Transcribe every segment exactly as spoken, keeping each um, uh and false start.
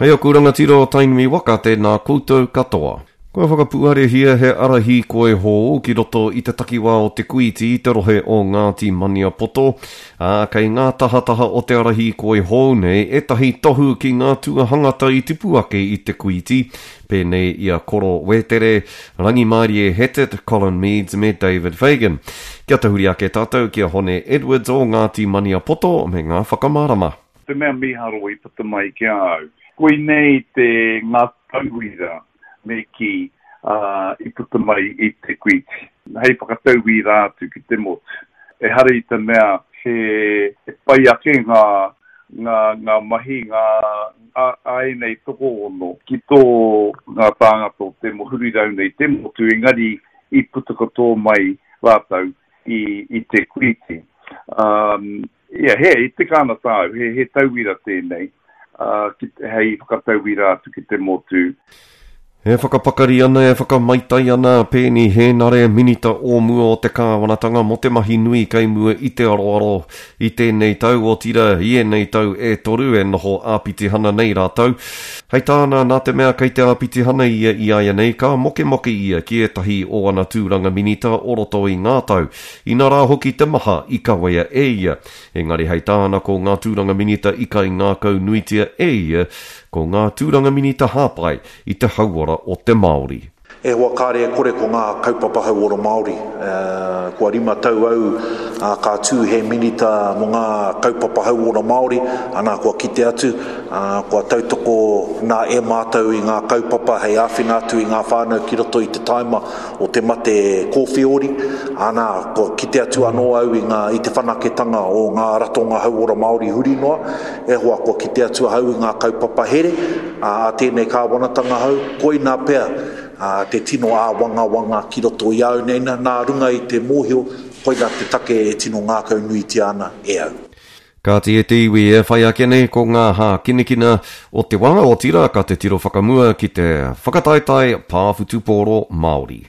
Hei aku rangatira o Tainui waka, tēnā koutou katoa. Kua whakapuarehia he ara hīkoi hou ki roto i te takiwā o Te Kuiti i te rohe o Ngāti Maniapoto, ā, kei ngā tahataha o te ara hīkoi hou nei ētahi tohu ki ngā tuahangata i tipu ake i Te Kuiti, pēnei i a Koro Wētere, Rangimārie Hetet, Colin Meads me David Fagan. Kia tahuri ake tātou ki a Hone Edwards o Ngāti Maniapoto me ngā whakamārama. Te mea mīharo i puta mai ki a au. Koinei te ngā tauira me kī uh, i puta mai i Te Kuiti. Hei whakatauira atu ki te motu. Ehara i te mea he, he pai ake ngā, ngā, ngā mahi, ngā a, a ēnei tokoono ki tō ngā tāngata o te huri rauna i te motu, engari i puta katoa mai rātou i, i Te Kuiti. Um, yeah, he, i te kāna tāu, he, he tauira tēnei, uh, ki, hei whakatauira atu ki te motu. E whakapakari ana, e whakamaitai ana a Peeni Hēnare, minita o mua o te kāwanatanga mō te mahi nui kei mua i te aroaro i tēnei tau, otirā i ēnei tau e toru e noho āpitihana nei rātou. Hei tāna, nā te mea kei te āpitihana ia i āianei, ka mokemoke ia ki ētahi o ana tūranga minita o roto i ngā tau. Inā rā hoki te maha i kawea e ia. Engari hei tāna ko ngā tūranga minita i kaingākaunuitia e ia, ko ngā tūranga minita hāpai i te hauora o te Māori. E hoa kāre e kore ko ngā kaupapa hauora Māori. Kua rima tau au ka tū he minita mō ngā kaupapa hauora Māori, ana kua kite atu, kua tautoko nā e mātou i ngā kaupapa hei āwhina atu i ngā whānau ki roto i te taima o te mate kōwhiori, ana kua kite atu anō au i ngā, i te whanaketanga o ngā ratonga hauora Māori huri noa, e hoa kua kite atu ahau i ngā kaupapa here a tēnei kāwanatanga hau, koina pea te tino āwangawanga ki roto i au nei, nā runga i te mōhio, koina te take e tino ngākau nuitia ana e au. Kāti e te iwi e whai ake nei ko ngā hākinakina o te wā, otirā ka te tiro whakamua ki te whakataetae pā whutupōro Māori.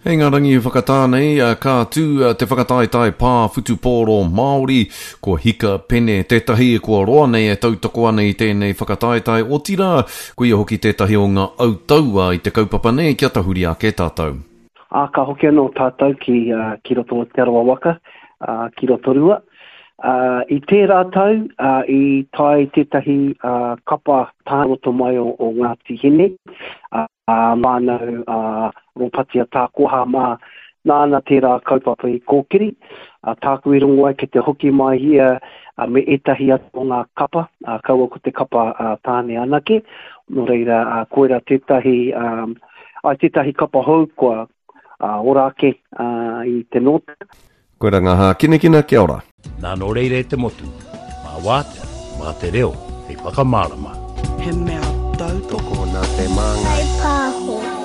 Hei ngā rangi whakatā nei, ka tū te whakataetae pā whutupōro Māori, ko Hika Pene tētahi kua roa nei e tautoko ana i tēnei whakataetae, otirā, ko ia hoki tētahi o ngā autaua i te kaupapa nei kia tahuri ake tātou. Ā, ka hoki anō tātou ki, uh, ki roto o Te Arawa waka, uh, ki Rotorua. Uh, i tērā tau, uh, i tae tētahi uh, kapa tāroto mai o, o Ngāti Hine, uh, mānau uh, Rōpatia Tākoha mā, nāna tērā kaupapa i kōkiri. Uh, tāku i rongo ai ki te hoki mai ia uh, me ētahi atu o ngā kapa, uh, kaua ko te kapa uh, tāne anake. Nō reira, uh, koira tētahi, um, ai tētahi kapa hou kua uh, ora ake uh, i te nōta. Koira ngā hākinakina, kia ora. Nā nō reira e te motu, mā wātea, mā te reo, hei whakamārama. He mea tautoko nā te māngai. Hei pāho.